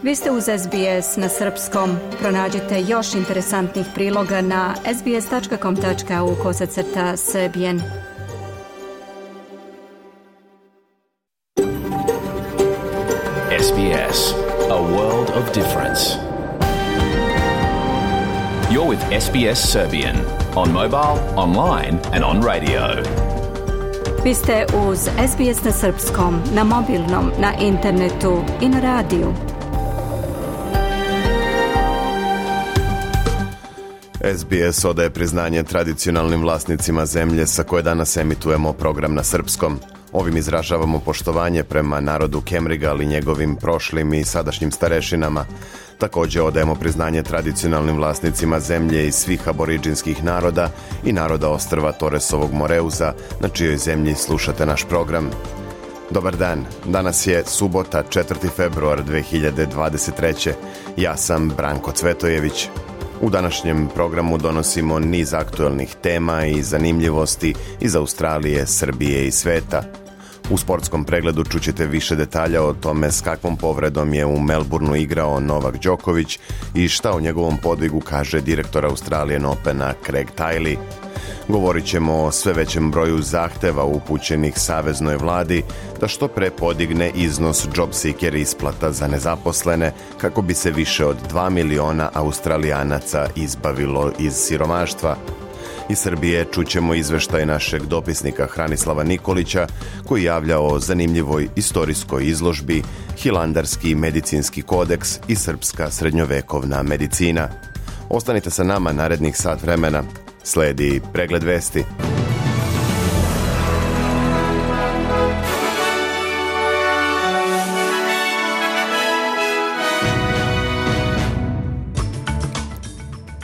Vi ste uz SBS na srpskom. Pronađite još interesantnih priloga na sbs.com.au/serbian. SBS, a world of difference. You're with SBS Serbian on mobile, online and on radio. Vi ste uz SBS na srpskom, na mobilnom, na internetu i na radiju. SBS odaje priznanje tradicionalnim vlasnicima zemlje sa koje danas emitujemo program na srpskom. Ovim izražavamo poštovanje prema narodu Kemrigal i njegovim prošlim i sadašnjim starešinama. Također odajemo priznanje tradicionalnim vlasnicima zemlje i svih aboriđinskih naroda i naroda ostrva Toresovog Moreuza, na čijoj zemlji slušate naš program. Dobar dan, danas je subota 4. februar 2023. Ja sam Branko Cvetojević. U današnjem programu donosimo niz aktualnih tema i zanimljivosti iz Australije, Srbije i sveta. U sportskom pregledu čućete više detalja o tome s kakvom povredom je u Melbourneu igrao Novak Đoković i šta o njegovom podvigu kaže direktor Australian Opena Craig Tiley. Govorit ćemo o sve većem broju zahteva upućenih saveznoj vladi da što pre podigne iznos JobSeeker isplata za nezaposlene kako bi se više od 2 miliona Australijanaca izbavilo iz siromaštva. Iz Srbije čućemo izveštaj našeg dopisnika Hranislava Nikolića koji javlja o zanimljivoj istorijskoj izložbi Hilandarski medicinski kodeks i srpska srednjovekovna medicina. Ostanite sa nama narednih sat vremena. Sledi pregled vesti.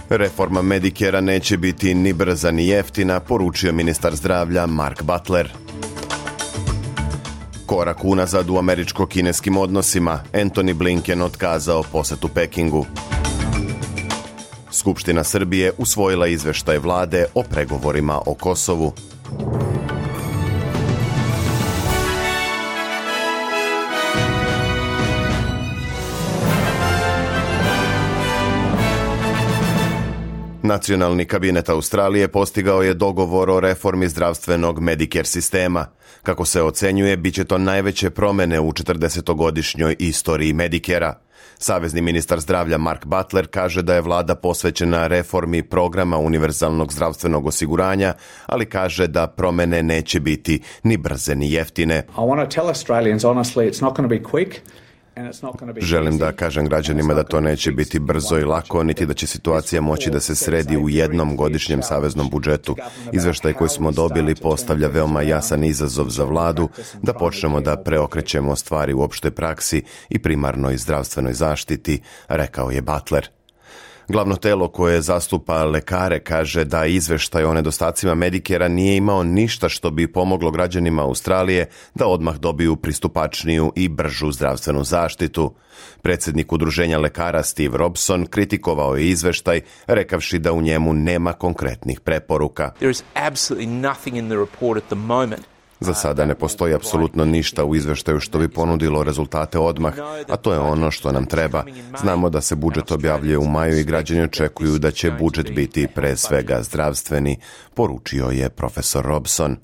Reforma Medicare-a neće biti ni brza ni jeftina, poručio ministar zdravlja Mark Butler. Korak unazad u američko-kineskim odnosima, Antony Blinken otkazao posetu Pekingu. Skupština Srbije usvojila izveštaj vlade o pregovorima o Kosovu. Nacionalni kabinet Australije postigao je dogovor o reformi zdravstvenog Medicare sistema. Kako se ocenjuje, bit će to najveće promjene u 40-godišnjoj istoriji Medicare-a. Savezni ministar zdravlja Mark Butler kaže da je vlada posvećena reformi programa univerzalnog zdravstvenog osiguranja, ali kaže da promjene neće biti ni brze ni jeftine. Želim da kažem građanima da to neće biti brzo i lako, niti da će situacija moći da se sredi u jednom godišnjem saveznom budžetu. Izveštaj koji smo dobili postavlja veoma jasan izazov za vladu da počnemo da preokrećemo stvari u opštoj praksi i primarnoj zdravstvenoj zaštiti, rekao je Butler. Glavno telo koje zastupa lekare kaže da izveštaj o nedostacima Medicare-a nije imao ništa što bi pomoglo građanima Australije da odmah dobiju pristupačniju i bržu zdravstvenu zaštitu. Predsjednik udruženja lekara Steve Robson kritikovao je izveštaj, rekavši da u njemu nema konkretnih preporuka. There is absolutely nothing in the report at the moment. Za sada ne postoji apsolutno ništa u izveštaju što bi ponudilo rezultate odmah, a to je ono što nam treba. Znamo da se budžet objavljuje u maju i građani očekuju da će budžet biti pre svega zdravstveni, poručio je profesor Robson.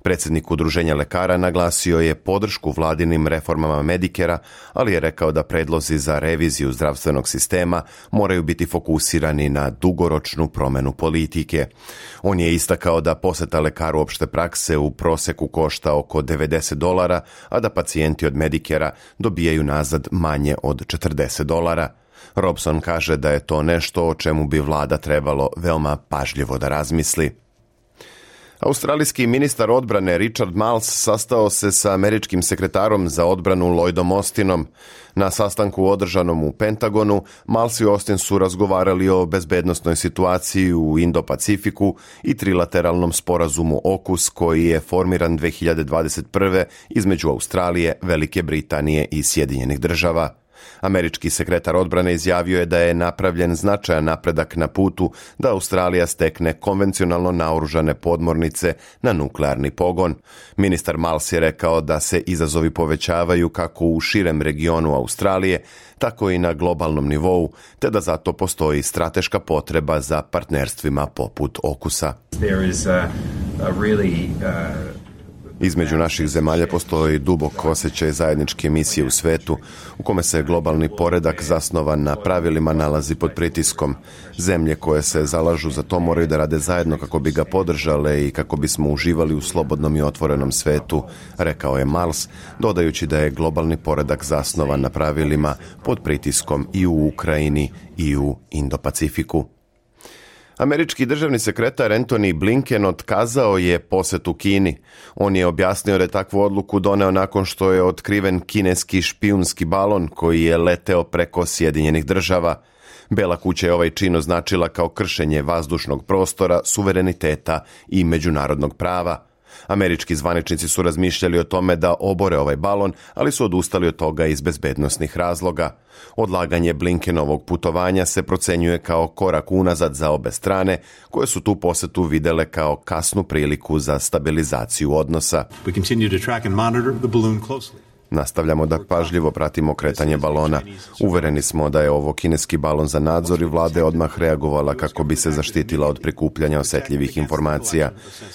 Predsjednik udruženja lekara naglasio je podršku vladinim reformama Medicare-a, ali je rekao da predlozi za reviziju zdravstvenog sistema moraju biti fokusirani na dugoročnu promjenu politike. On je istakao da poseta lekaru opšte prakse u proseku košta oko $90, a da pacijenti od Medicare-a dobijaju nazad manje od $40. Robson kaže da je to nešto o čemu bi vlada trebalo veoma pažljivo da razmisli. Australijski ministar odbrane Richard Marles sastao se sa američkim sekretarom za odbranu Lloydom Austinom. Na sastanku održanom u Pentagonu, Marles i Austin su razgovarali o bezbednosnoj situaciji u Indo-Pacifiku i trilateralnom sporazumu AUKUS koji je formiran 2021. između Australije, Velike Britanije i Sjedinjenih Država. Američki sekretar odbrane izjavio je da je napravljen značajan napredak na putu da Australija stekne konvencionalno naoružane podmornice na nuklearni pogon. Ministar Miles je rekao da se izazovi povećavaju kako u širem regionu Australije, tako i na globalnom nivou, te da zato postoji strateška potreba za partnerstvima poput AUKUS-a. Između naših zemalja postoji dubok osjećaj zajedničke misije u svetu u kome se globalni poredak zasnovan na pravilima nalazi pod pritiskom. Zemlje koje se zalažu za to moraju da rade zajedno kako bi ga podržale i kako bismo uživali u slobodnom i otvorenom svetu, rekao je Miles, dodajući da je globalni poredak zasnovan na pravilima pod pritiskom i u Ukrajini i u Indo-Pacifiku. Američki državni sekretar Antony Blinken otkazao je posjetu Kini. On je objasnio da je takvu odluku doneo nakon što je otkriven kineski špijunski balon koji je leteo preko Sjedinjenih Država. Bela kuća je ovaj čin označila kao kršenje vazdušnog prostora, suvereniteta i međunarodnog prava. Američki zvaničnici su razmišljali o tome da obore ovaj balon, ali su odustali od toga iz bezbednosnih razloga. Odlaganje Blinkenovog putovanja se procenjuje kao korak unazad za obe strane, koje su tu posjetu videle kao kasnu priliku za stabilizaciju odnosa. Nastavljamo da pažljivo pratimo kretanje balona. Uvereni smo da je ovo kineski balon za nadzor i vlada je odmah reagovala kako bi se zaštitila od prikupljanja osjetljivih informacija.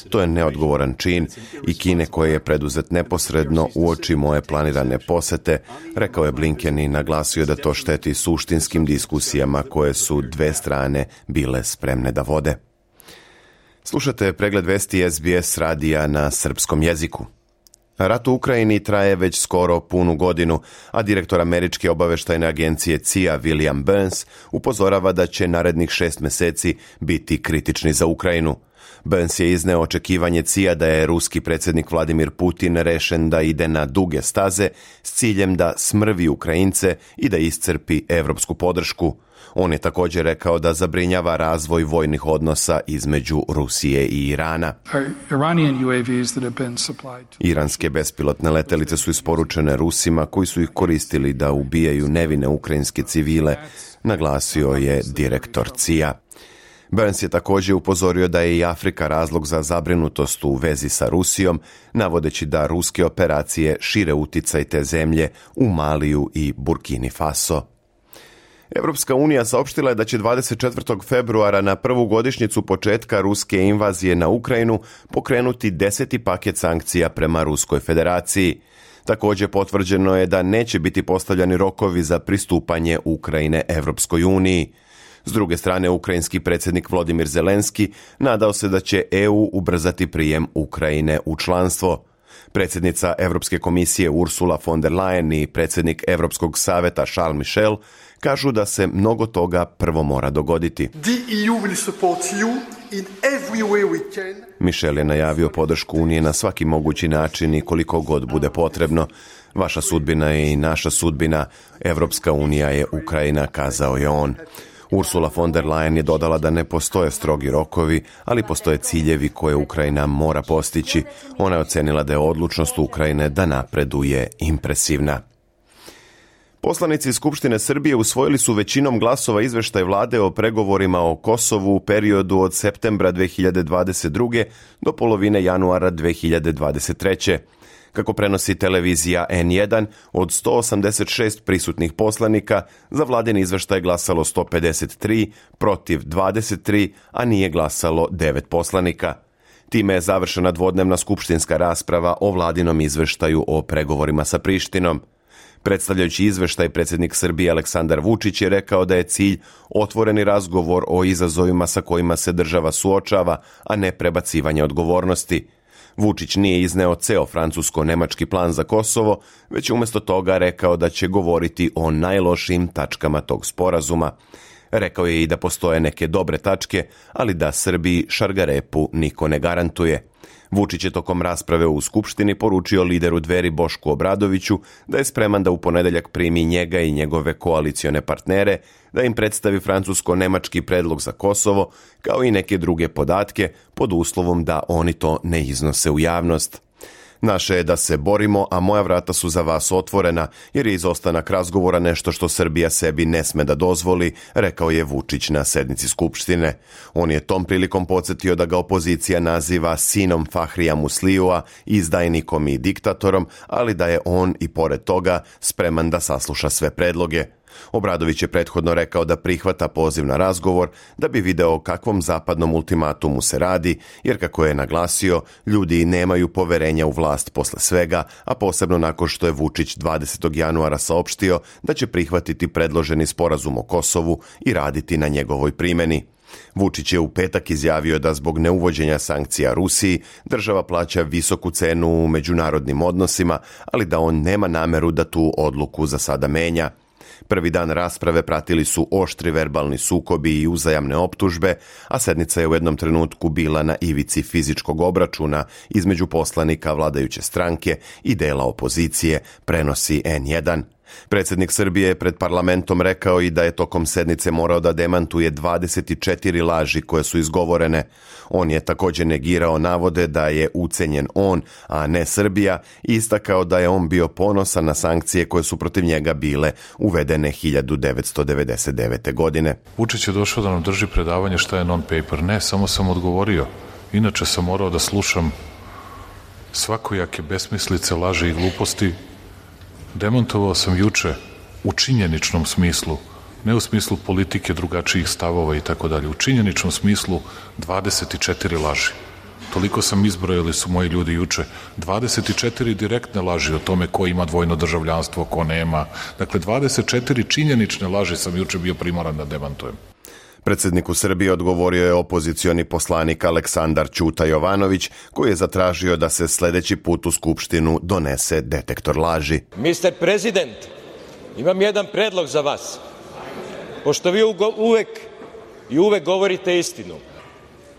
To je neodgovoran čin i Kine koje je preduzet neposredno uoči moje planirane posete, rekao je Blinken i naglasio da to šteti suštinskim diskusijama koje su dve strane bile spremne da vode. Slušate pregled vesti SBS radija na srpskom jeziku. Rat u Ukrajini traje već skoro punu godinu, a direktor američke obaveštajne agencije CIA William Burns upozorava da će narednih 6 mjeseci biti kritični za Ukrajinu. Burns je izneo očekivanje CIA da je ruski predsjednik Vladimir Putin rešen da ide na duge staze s ciljem da smrvi Ukrajince i da iscrpi evropsku podršku. On je također rekao da zabrinjava razvoj vojnih odnosa između Rusije i Irana. Iranske bespilotne letelice su isporučene Rusima koji su ih koristili da ubijaju nevine ukrajinske civile, naglasio je direktor CIA. Burns je također upozorio da je i Afrika razlog za zabrinutost u vezi sa Rusijom, navodeći da ruske operacije šire uticaj te zemlje u Maliju i Burkini Faso. Evropska unija saopštila je da će 24. februara na prvu godišnjicu početka ruske invazije na Ukrajinu pokrenuti 10. paket sankcija prema Ruskoj federaciji. Također potvrđeno je da neće biti postavljani rokovi za pristupanje Ukrajine Evropskoj uniji. S druge strane, ukrajinski predsjednik Volodymyr Zelenski nadao se da će EU ubrzati prijem Ukrajine u članstvo. Predsjednica Europske komisije Ursula von der Leyen i predsjednik Europskog saveta Charles Michel kažu da se mnogo toga prvo mora dogoditi. Michel je najavio podršku Unije na svaki mogući način i koliko god bude potrebno. Vaša sudbina je i naša sudbina, Evropska unija je Ukrajina, kazao je on. Ursula von der Leyen je dodala da ne postoje strogi rokovi, ali postoje ciljevi koje Ukrajina mora postići. Ona je ocenila da je odlučnost Ukrajine da napreduje impresivna. Poslanici iz Skupštine Srbije usvojili su većinom glasova izveštaj vlade o pregovorima o Kosovu u periodu od septembra 2022. do polovine januara 2023. Kako prenosi televizija N1, od 186 prisutnih poslanika za vladin izveštaj glasalo 153, protiv 23, a nije glasalo 9 poslanika. Time je završena dvodnevna skupštinska rasprava o vladinom izveštaju o pregovorima sa Prištinom. Predstavljajući izveštaj, predsjednik Srbije Aleksandar Vučić je rekao da je cilj otvoreni razgovor o izazovima sa kojima se država suočava, a ne prebacivanje odgovornosti. Vučić nije izneo ceo francusko-nemački plan za Kosovo, već je umjesto toga rekao da će govoriti o najlošijim tačkama tog sporazuma. Rekao je i da postoje neke dobre tačke, ali da Srbiji šargarepu niko ne garantuje. Vučić je tokom rasprave u Skupštini poručio lideru Dveri Bošku Obradoviću da je spreman da u ponedjeljak primi njega i njegove koalicione partnere, da im predstavi francusko-nemački predlog za Kosovo, kao i neke druge podatke, pod uslovom da oni to ne iznose u javnost. Naše je da se borimo, a moja vrata su za vas otvorena, jer je izostanak razgovora nešto što Srbija sebi ne sme da dozvoli, rekao je Vučić na sednici Skupštine. On je tom prilikom podsjetio da ga opozicija naziva sinom Fahrija Muslijua, izdajnikom i diktatorom, ali da je on i pored toga spreman da sasluša sve predloge. Obradović je prethodno rekao da prihvata poziv na razgovor da bi video o kakvom zapadnom ultimatumu se radi, jer kako je naglasio, ljudi nemaju poverenja u vlast posle svega, a posebno nakon što je Vučić 20. januara saopštio da će prihvatiti predloženi sporazum o Kosovu i raditi na njegovoj primjeni. Vučić je u petak izjavio da zbog neuvođenja sankcija Rusiji država plaća visoku cenu u međunarodnim odnosima, ali da on nema nameru da tu odluku za sada menja. Prvi dan rasprave pratili su oštri verbalni sukobi i uzajamne optužbe, a sednica je u jednom trenutku bila na ivici fizičkog obračuna između poslanika vladajuće stranke i dela opozicije, prenosi N1. Predsjednik Srbije je pred parlamentom rekao i da je tokom sednice morao da demantuje 24 laži koje su izgovorene. On je također negirao navode da je ucenjen on, a ne Srbija, i istakao da je on bio ponosan na sankcije koje su protiv njega bile uvedene 1999. godine. Vučić je došao da nam drži predavanje šta je non-paper. Ne, samo sam odgovorio. Inače sam morao da slušam svakojake besmislice, laži i gluposti. Demontovao sam juče u činjeničnom smislu, ne u smislu politike, drugačijih stavova i tako dalje, u činjeničnom smislu 24 laži. Toliko sam izbrojali su moji ljudi juče. 24 direktne laži o tome ko ima dvojno državljanstvo, ko nema. Dakle, 24 činjenične laži sam juče bio primoran da demantujem. Predsjedniku Srbije odgovorio je opozicioni poslanik Aleksandar Ćuta Jovanović, koji je zatražio da se sljedeći put u Skupštinu donese detektor laži. Mr. President, imam jedan predlog za vas. Pošto vi uvek govorite istinu,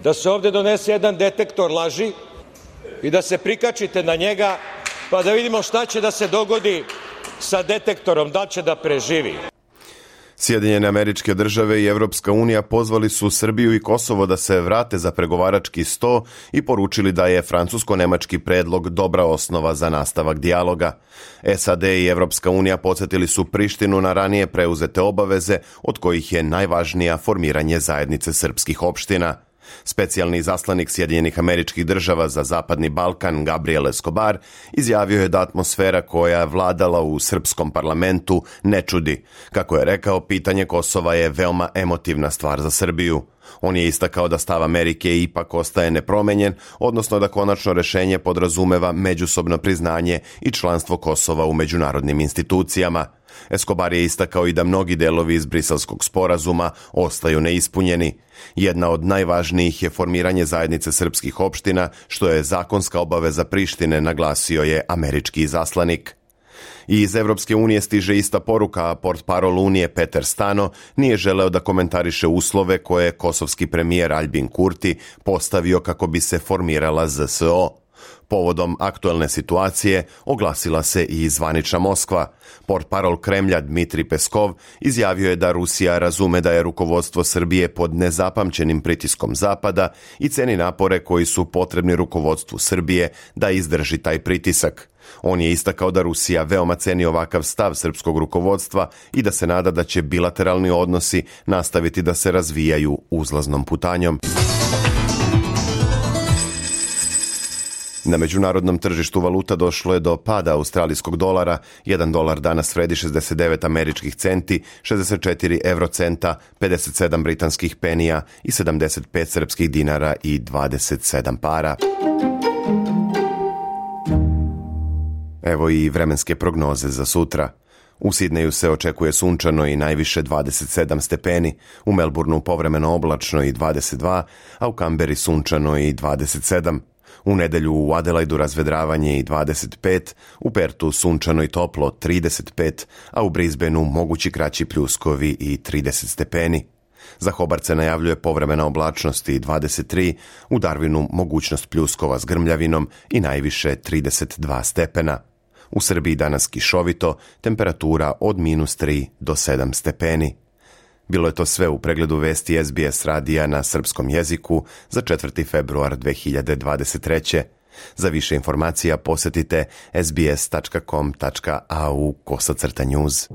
da se ovdje donese jedan detektor laži i da se prikačite na njega, pa da vidimo šta će da se dogodi sa detektorom, da će da preživi. Sjedinjene Američke Države i Evropska unija pozvali su Srbiju i Kosovo da se vrate za pregovarački sto i poručili da je francusko-nemački predlog dobra osnova za nastavak dijaloga. SAD i Evropska unija podsjetili su Prištinu na ranije preuzete obaveze, od kojih je najvažnija formiranje zajednice srpskih opština. Specijalni izaslanik Sjedinjenih Američkih Država za Zapadni Balkan Gabriel Escobar izjavio je da atmosfera koja je vladala u srpskom parlamentu ne čudi. Kako je rekao, pitanje Kosova je veoma emotivna stvar za Srbiju. On je istakao da stav Amerike ipak ostaje nepromenjen, odnosno da konačno rešenje podrazumeva međusobno priznanje i članstvo Kosova u međunarodnim institucijama. Escobar je istakao i da mnogi delovi iz Briselskog sporazuma ostaju neispunjeni. Jedna od najvažnijih je formiranje zajednice srpskih opština, što je zakonska obaveza Prištine, naglasio je američki izaslanik. I iz Evropske unije stiže ista poruka, a portparol Unije Peter Stano nije želeo da komentariše uslove koje je kosovski premijer Aljbin Kurti postavio kako bi se formirala ZSO. Povodom aktuelne situacije oglasila se i zvanična Moskva. Portparol Kremlja Dmitri Peskov izjavio je da Rusija razume da je rukovodstvo Srbije pod nezapamćenim pritiskom Zapada i ceni napore koji su potrebni rukovodstvu Srbije da izdrži taj pritisak. On je istakao da Rusija veoma ceni ovakav stav srpskog rukovodstva i da se nada da će bilateralni odnosi nastaviti da se razvijaju uzlaznom putanjom. Na međunarodnom tržištu valuta došlo je do pada australijskog dolara. 1 dolar danas vredi 69 američkih centi, 64 eurocenta, 57 britanskih penija i 75 srpskih dinara i 27 para. Evo i vremenske prognoze za sutra. U Sidneju se očekuje sunčano i najviše 27 stepeni, u Melbourneu povremeno oblačno i 22, a u Kamberi sunčano i 27. U nedelju u Adelaidu razvedravanje i 25, u Pertu sunčano i toplo 35, a u Brisbaneu mogući kraći pljuskovi i 30 stepeni. Za Hobart se najavljuje povremena oblačnost i 23, u Darwinu mogućnost pljuskova s grmljavinom i najviše 32 stepena. U Srbiji danas kišovito, temperatura od -3 do 7 stepeni. Bilo je to sve u pregledu vesti SBS radija na srpskom jeziku za 4. februar 2023. Za više informacija posjetite sbs.com.au/news.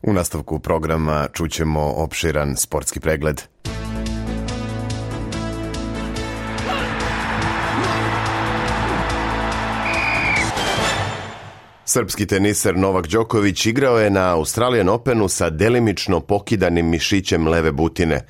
U nastavku programa čućemo opširan sportski pregled. Srpski teniser Novak Đoković igrao je na Australian Openu sa delimično pokidanim mišićem leve butine.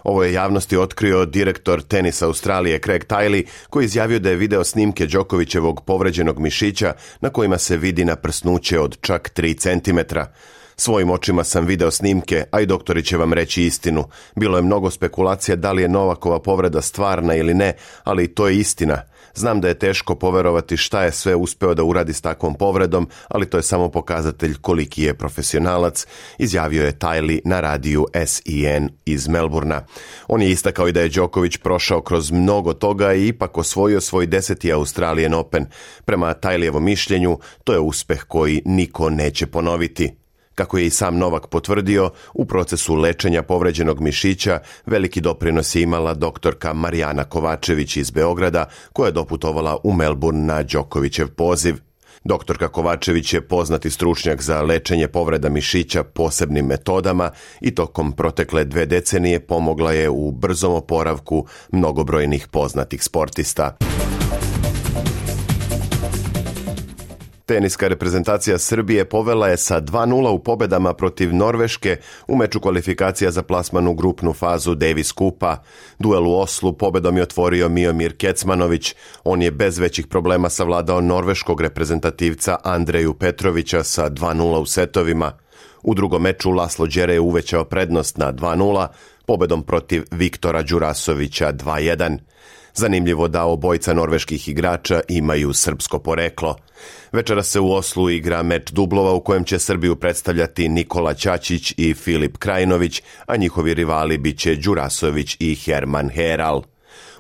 Ovo je javnosti otkrio direktor tenisa Australije Craig Tiley, koji izjavio da je video snimke Đokovićevog povređenog mišića na kojima se vidi naprsnuće od čak 3 centimetra. Svojim očima sam video snimke, a i doktori će vam reći istinu. Bilo je mnogo spekulacija da li je Novakova povreda stvarna ili ne, ali to je istina. Znam da je teško poverovati šta je sve uspeo da uradi s takvom povredom, ali to je samo pokazatelj koliki je profesionalac, izjavio je Tiley na radiju SEN iz Melburna. On je istakao i da je Đoković prošao kroz mnogo toga i ipak osvojio svoj 10. Australian Open. Prema Tileyjevom mišljenju, to je uspeh koji niko neće ponoviti. Kako je i sam Novak potvrdio, u procesu lečenja povređenog mišića veliki doprinos je imala doktorka Marijana Kovačević iz Beograda, koja je doputovala u Melbourne na Đokovićev poziv. Doktorka Kovačević je poznati stručnjak za lečenje povreda mišića posebnim metodama i tokom protekle 2 decenije pomogla je u brzom oporavku mnogobrojnih poznatih sportista. Teniska reprezentacija Srbije povela je sa 2:0 u pobedama protiv Norveške u meču kvalifikacija za plasman u grupnu fazu Davis Kupa. Duel u Oslu pobedom je otvorio Miomir Kecmanović. On je bez većih problema savladao norveškog reprezentativca Andreju Petrovića sa 2:0 u setovima. U drugom meču Laslo Đere je uvećao prednost na 2:0 pobedom protiv Viktora Đurasovića 2:1. Zanimljivo da obojica norveških igrača imaju srpsko poreklo. Večera se u Oslu igra meč dublova u kojem će Srbiju predstavljati Nikola Ćaćić i Filip Krajinović, a njihovi rivali biće Đurasović i Herman Heral.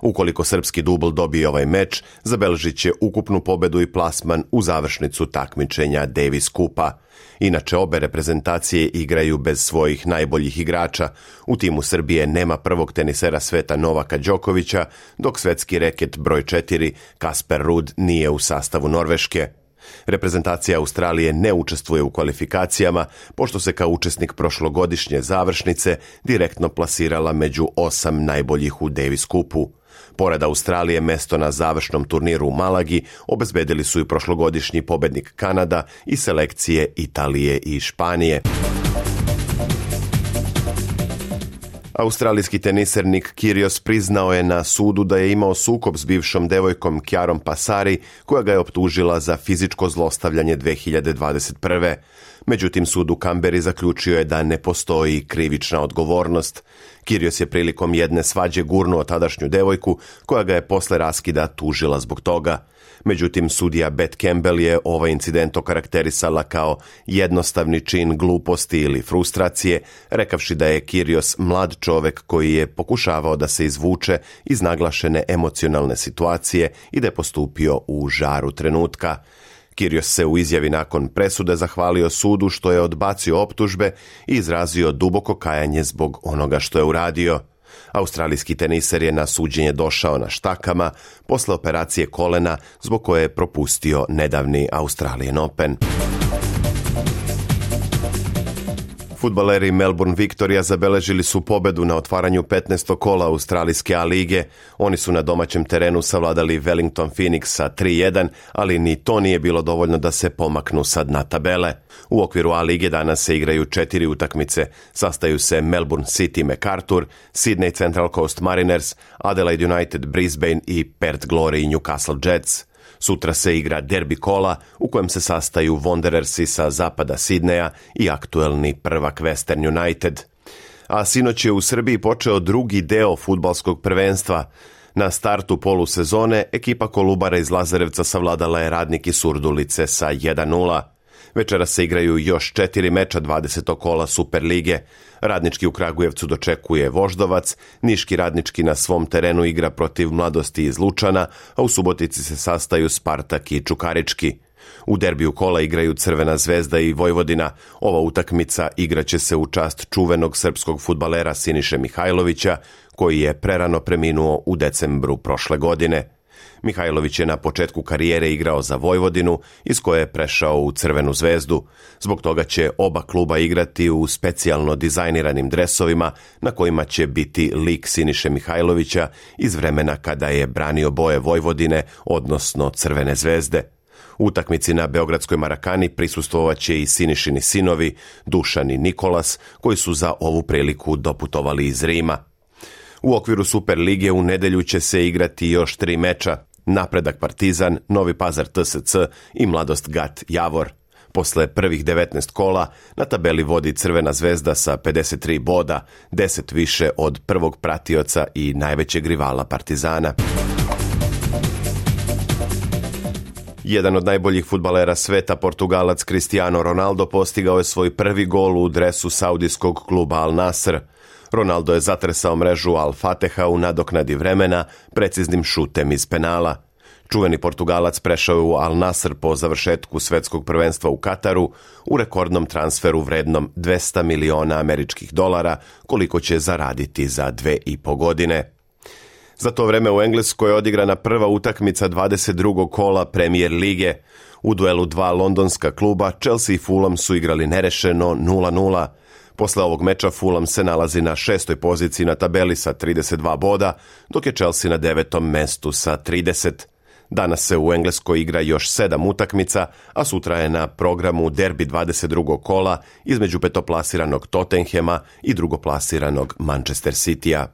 Ukoliko srpski dubl dobije ovaj meč, zabeležit će ukupnu pobedu i plasman u završnicu takmičenja Davis Kupa. Inače, obe reprezentacije igraju bez svojih najboljih igrača. U timu Srbije nema prvog tenisera sveta Novaka Đokovića, dok svetski reket broj 4 Kasper Ruud nije u sastavu Norveške. Reprezentacija Australije ne učestvuje u kvalifikacijama, pošto se kao učesnik prošlogodišnje završnice direktno plasirala među 8 najboljih u Davis Kupu. Pored Australije, mesto na završnom turniru u Malagi obezbedili su i prošlogodišnji pobednik Kanada i selekcije Italije i Španije. Australijski teniser Nick Kyrgios priznao je na sudu da je imao sukob s bivšom devojkom Kjarom Passari, koja ga je optužila za fizičko zlostavljanje 2021. Međutim, sud u Kamberi zaključio je da ne postoji krivična odgovornost. Kyrgios je prilikom jedne svađe gurnuo tadašnju devojku, koja ga je posle raskida tužila zbog toga. Međutim, sudija Beth Campbell je ovaj incident okarakterisala kao jednostavni čin gluposti ili frustracije, rekavši da je Kyrgios mlad čovek koji je pokušavao da se izvuče iz naglašene emocionalne situacije i da je postupio u žaru trenutka. Kyrgios se u izjavi nakon presude zahvalio sudu što je odbacio optužbe i izrazio duboko kajanje zbog onoga što je uradio. Australijski teniser je na suđenje došao na štakama posle operacije kolena zbog koje je propustio nedavni Australian Open. Fudbaleri Melbourne Victoria zabeležili su pobedu na otvaranju 15. kola Australijske A lige. Oni su na domaćem terenu savladali Wellington Phoenix sa 3:1, ali ni to nije bilo dovoljno da se pomaknu sa dna tabele. U okviru A lige danas se igraju 4 utakmice. Sastaju se Melbourne City MacArthur, Sydney Central Coast Mariners, Adelaide United Brisbane i Perth Glory Newcastle Jets. Sutra se igra derbi kola u kojem se sastaju Wanderersi sa zapada Sidneja i aktuelni prvak Western United. A sinoć je u Srbiji počeo drugi deo fudbalskog prvenstva. Na startu polusezone ekipa Kolubara iz Lazarevca savladala je Radnik iz Surdulice sa 1:0. Večeras se igraju još 4 meča 20. kola Superlige. Radnički u Kragujevcu dočekuje Voždovac, Niški Radnički na svom terenu igra protiv Mladosti iz Lučana, a u Subotici se sastaju Spartak i Čukarički. U derbiju kola igraju Crvena zvezda i Vojvodina. Ova utakmica igraće se u čast čuvenog srpskog fudbalera Siniše Mihajlovića, koji je prerano preminuo u decembru prošle godine. Mihajlović je na početku karijere igrao za Vojvodinu, iz koje je prešao u Crvenu zvezdu. Zbog toga će oba kluba igrati u specijalno dizajniranim dresovima na kojima će biti lik Siniše Mihajlovića iz vremena kada je branio boje Vojvodine, odnosno Crvene zvezde. U utakmici na beogradskoj Marakani prisustvovaće i Sinišini sinovi, Dušan i Nikolas, koji su za ovu priliku doputovali iz Rima. U okviru Superlige u nedelju će se igrati još 3 meča: Napredak Partizan, Novi Pazar TSC i Mladost Gat Javor. Posle prvih 19 kola na tabeli vodi Crvena zvezda sa 53 boda, 10 više od prvog pratioca i najvećeg rivala Partizana. Jedan od najboljih fudbalera sveta, Portugalac Cristiano Ronaldo, postigao je svoj prvi gol u dresu saudijskog kluba Al Nasr. Ronaldo je zatresao mrežu Al Fateha u nadoknadi vremena preciznim šutem iz penala. Čuveni Portugalac prešao je u Al Nasr po završetku svetskog prvenstva u Kataru u rekordnom transferu vrednom $200 miliona, koliko će zaraditi za 2,5 godine. Za to vreme u Engleskoj je odigrana prva utakmica 22. kola Premier lige. U duelu dva londonska kluba, Chelsea i Fulham, su igrali nerešeno 0-0. Posle ovog meča Fulham se nalazi na 6. poziciji na tabeli sa 32 boda, dok je Chelsea na 9. mestu sa 30. Danas se u Engleskoj igra još 7 utakmica, a sutra je na programu derbi 22. kola između petoplasiranog Tottenhema i drugoplasiranog Manchester Citya.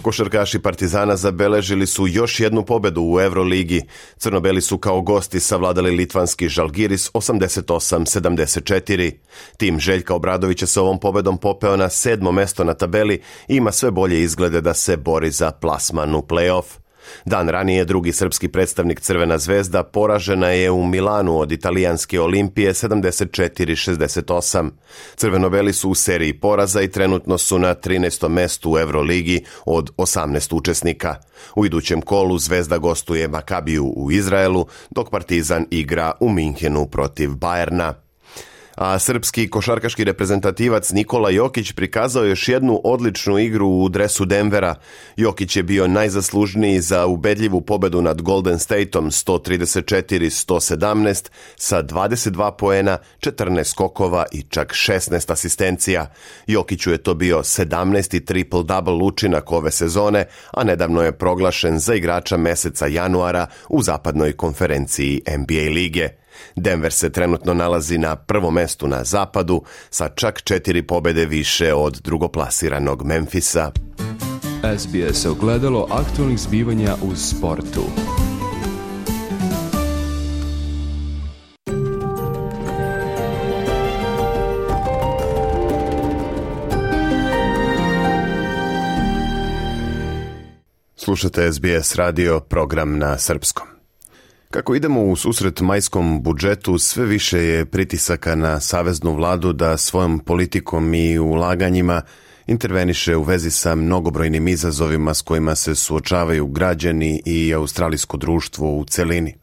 Košarkaši Partizana zabeležili su još jednu pobedu u Euroligi. Crnobeli su kao gosti savladali litvanski Žalgiris 88-74. Tim Željka Obradovića se ovom pobedom popeo na 7. mesto na tabeli i ima sve bolje izglede da se bori za plasman u play-off. Dan ranije drugi srpski predstavnik Crvena zvezda poražena je u Milanu od italijanske Olimpije 74-68. Crvenobeli su u seriji poraza i trenutno su na 13. mestu u Euroligi od 18 učesnika. U idućem kolu Zvezda gostuje Makabiju u Izraelu, dok Partizan igra u Minhenu protiv Bajerna. A srpski košarkaški reprezentativac Nikola Jokić prikazao još jednu odličnu igru u dresu Denvera. Jokić je bio najzaslužniji za ubedljivu pobedu nad Golden Stateom 134-117 sa 22 poena, 14 skokova i čak 16 asistencija. Jokiću je to bio 17. triple-double učinak ove sezone, a nedavno je proglašen za igrača meseca januara u zapadnoj konferenciji NBA lige. Denver se trenutno nalazi na prvom mestu na zapadu sa čak 4 pobede više od drugoplasiranog Memfisa. SBS ogledalo aktualnih zbivanja u sportu. Slušate SBS radio, program na srpskom. Kako idemo u susret majskom budžetu, sve više je pritisaka na saveznu vladu da svojom politikom i ulaganjima interveniše u vezi sa mnogobrojnim izazovima s kojima se suočavaju građani i australijsko društvo u celini.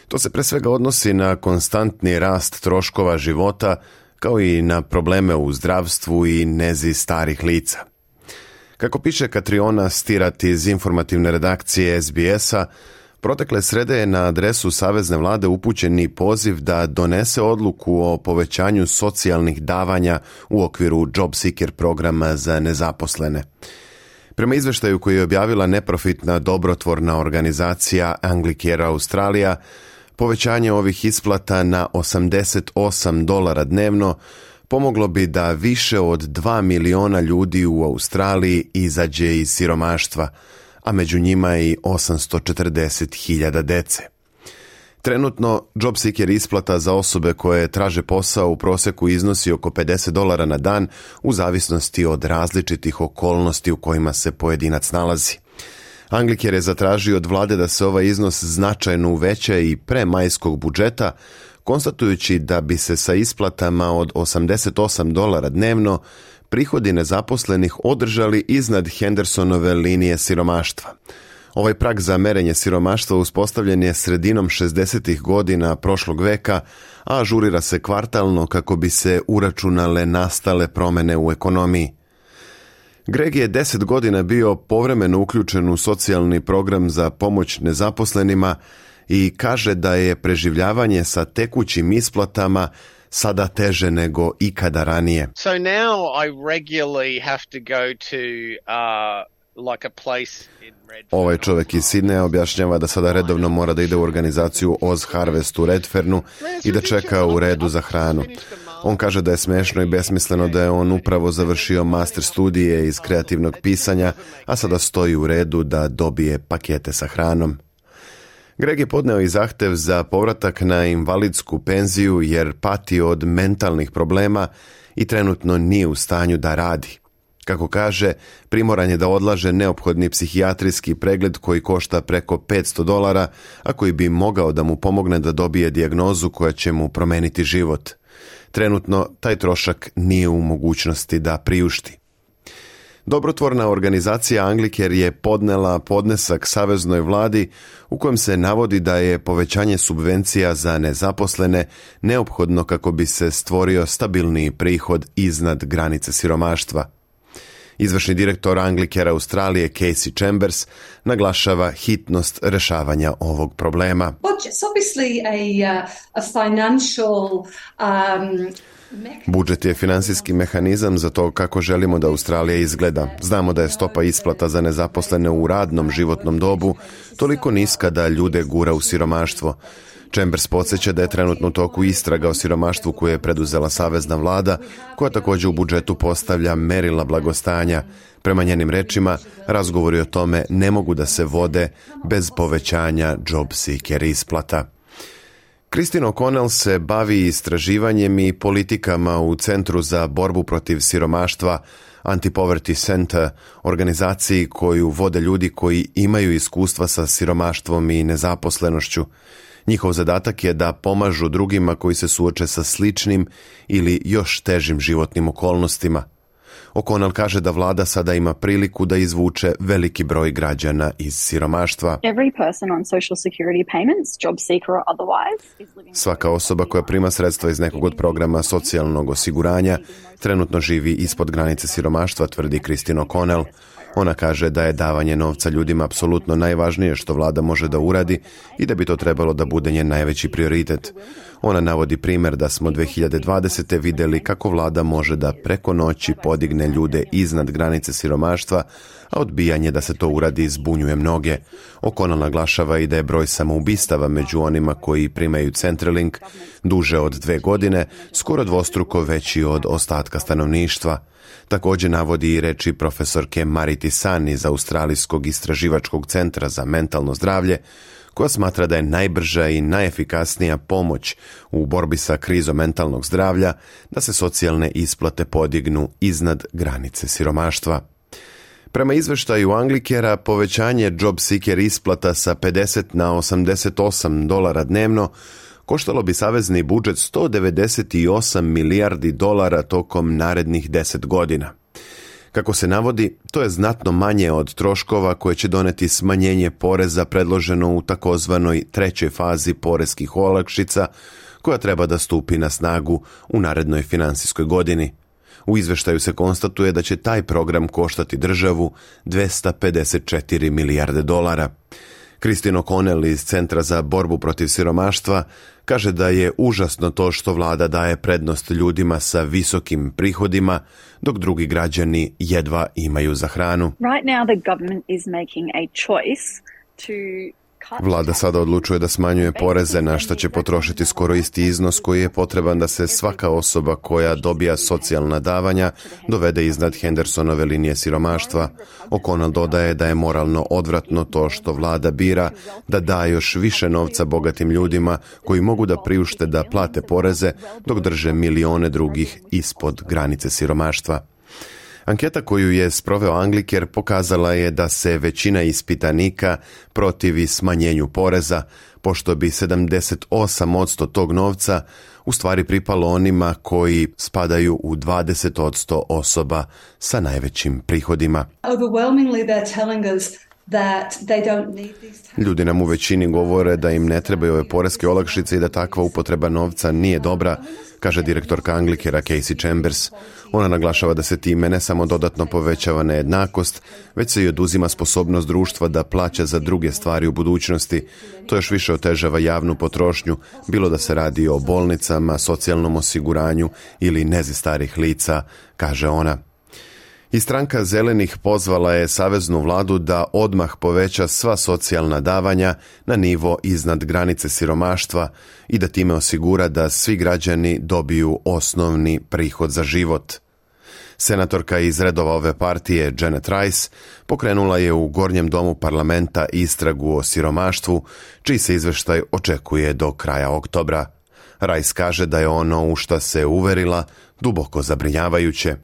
To se pre svega odnosi na konstantni rast troškova života, kao i na probleme u zdravstvu i nezi starih lica. Kako piše Katriona Stirat iz informativne redakcije SBS-a, protekle srede je na adresu Savezne vlade upućeni poziv da donese odluku o povećanju socijalnih davanja u okviru Job Seeker programa za nezaposlene. Prema izveštaju koji je objavila neprofitna dobrotvorna organizacija Anglicare Australija, povećanje ovih isplata na $88 dnevno pomoglo bi da više od 2 miliona ljudi u Australiji izađe iz siromaštva, a među njima i 840.000 dece. Trenutno, Job Seeker isplata za osobe koje traže posao u proseku iznosi oko $50 na dan u zavisnosti od različitih okolnosti u kojima se pojedinac nalazi. Angliker je zatražio od vlade da se ovaj iznos značajno uveća i pre majskog budžeta, konstatujući da bi se sa isplatama od $88 dnevno prihodi nezaposlenih održali iznad Hendersonove linije siromaštva. Ovaj prag za merenje siromaštva uspostavljen je sredinom 60. godina prošlog veka, a ažurira se kvartalno kako bi se uračunale nastale promene u ekonomiji. Greg je 10 godina bio povremeno uključen u socijalni program za pomoć nezaposlenima i kaže da je preživljavanje sa tekućim isplatama sada teže nego ikada ranije. So now I regularly have to go to like a place in Redfern. Ovaj čovjek iz Sidneja objašnjava da sada redovno mora da ide u organizaciju Oz Harvest u Redfernu i da čeka u redu za hranu. On kaže da je smešno i besmisleno da je on upravo završio master studije iz kreativnog pisanja, a sada stoji u redu da dobije pakete sa hranom. Greg je podneo i zahtev za povratak na invalidsku penziju jer pati od mentalnih problema i trenutno nije u stanju da radi. Kako kaže, primoran je da odlaže neophodni psihijatrijski pregled koji košta preko $500, a koji bi mogao da mu pomogne da dobije dijagnozu koja će mu promeniti život. Trenutno taj trošak nije u mogućnosti da priušti. Dobrotvorna organizacija Angliker je podnela podnesak saveznoj vladi u kojem se navodi da je povećanje subvencija za nezaposlene neophodno kako bi se stvorio stabilniji prihod iznad granice siromaštva. Izvršni direktor Anglikera Australije Casey Chambers naglašava hitnost rešavanja ovog problema. Budžet je finansijski mehanizam za to kako želimo da Australija izgleda. Znamo da je stopa isplata za nezaposlene u radnom životnom dobu toliko niska da ljude gura u siromaštvo. Chambers podsjeća da je trenutno u toku istraga o siromaštvu koju je preduzela savezna vlada, koja također u budžetu postavlja merila blagostanja. Prema njenim rečima, razgovori o tome ne mogu da se vode bez povećanja job seeker isplata. Christine O'Connell se bavi istraživanjem i politikama u Centru za borbu protiv siromaštva Anti-Poverty Center, organizaciji koju vode ljudi koji imaju iskustva sa siromaštvom i nezaposlenošću. Njihov zadatak je da pomažu drugima koji se suoče sa sličnim ili još težim životnim okolnostima. O'Connell kaže da vlada sada ima priliku da izvuče veliki broj građana iz siromaštva. Svaka osoba koja prima sredstva iz nekog od programa socijalnog osiguranja trenutno živi ispod granice siromaštva, tvrdi Christine O'Connell. Ona kaže da je davanje novca ljudima apsolutno najvažnije što vlada može da uradi i da bi to trebalo da bude njen najveći prioritet. Ona navodi primjer da smo 2020. vidjeli kako vlada može da preko noći podigne ljude iznad granice siromaštva, a odbijanje da se to uradi zbunjuje mnoge. O'Connell naglašava i da je broj samoubistava među onima koji primaju Centrelink duže od 2 godine, skoro dvostruko veći od ostatka stanovništva. Također navodi i reči profesorke Mariti San iz Australijskog istraživačkog centra za mentalno zdravlje, koja smatra da je najbrža i najefikasnija pomoć u borbi sa krizom mentalnog zdravlja da se socijalne isplate podignu iznad granice siromaštva. Prema izveštaju Anglikera, povećanje job seeker isplata sa $50 na $88 dnevno koštalo bi savezni budžet $198 milijardi tokom narednih 10 godina. Kako se navodi, to je znatno manje od troškova koje će doneti smanjenje poreza predloženo u takozvanoj trećoj fazi poreskih olakšica, koja treba da stupi na snagu u narednoj finansijskoj godini. U izveštaju se konstatuje da će taj program koštati državu $254 milijarde. Christine O'Connell iz Centra za borbu protiv siromaštva kaže da je užasno to što vlada daje prednost ljudima sa visokim prihodima, dok drugi građani jedva imaju za hranu. Right now the government is making a choice to Vlada sada odlučuje da smanjuje poreze na što će potrošiti skoro isti iznos koji je potreban da se svaka osoba koja dobija socijalna davanja dovede iznad Hendersonove linije siromaštva. O'Connell dodaje da je moralno odvratno to što vlada bira da da još više novca bogatim ljudima koji mogu da priušte da plate poreze dok drže milione drugih ispod granice siromaštva. Anketa koju je sproveo Anglicare pokazala je da se većina ispitanika protivi smanjenju poreza, pošto bi 78% tog novca u stvari pripalo onima koji spadaju u 20% osoba sa najvećim prihodima. Ljudi nam u većini govore da im ne trebaju ove poreske olakšice i da takva upotreba novca nije dobra, kaže direktorka Anglicarea Casey Chambers. Ona naglašava da se time ne samo dodatno povećava nejednakost, već se i oduzima sposobnost društva da plaća za druge stvari u budućnosti. To još više otežava javnu potrošnju, bilo da se radi o bolnicama, socijalnom osiguranju ili nezi starih lica, kaže ona. I stranka Zelenih pozvala je saveznu vladu da odmah poveća sva socijalna davanja na nivo iznad granice siromaštva i da time osigura da svi građani dobiju osnovni prihod za život. Senatorka iz redova ove partije, Janet Rice, pokrenula je u Gornjem domu parlamenta istragu o siromaštvu, čiji se izveštaj očekuje do kraja oktobra. Rice kaže da je ono u šta se uverila duboko zabrinjavajuće.